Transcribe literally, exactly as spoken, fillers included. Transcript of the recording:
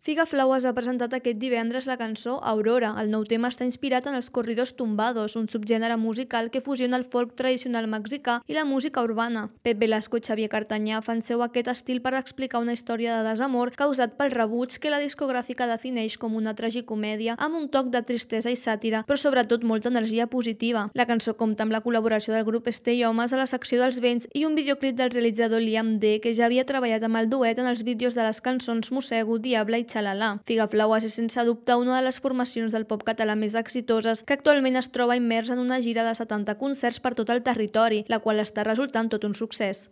Figaflaues ha presentat aquest divendres la cançó Aurora. El nou tema està inspirat en els corridos tumbados, un subgènere musical que fusiona el folk tradicional mexicà i la música urbana. Pep Velasco i Xavier Cartanyà fan seu aquest estil per explicar una història de desamor causat pel rebuig que la discogràfica defineix com una tragicomèdia amb un toc de tristesa i sàtira, però sobretot molta energia positiva. La cançó compta amb la col·laboració del grup Stay Homes a la secció dels vents i un videoclip del realitzador Liam D, que ja havia treballat amb el duet en els vídeos de les cançons Mossego, Diable i Xalala. Figaflaues és sense dubte una de les formacions del pop català més exitoses, que actualment es troba immers en una gira de setanta concerts per tot el territori, la qual està resultant tot un succés.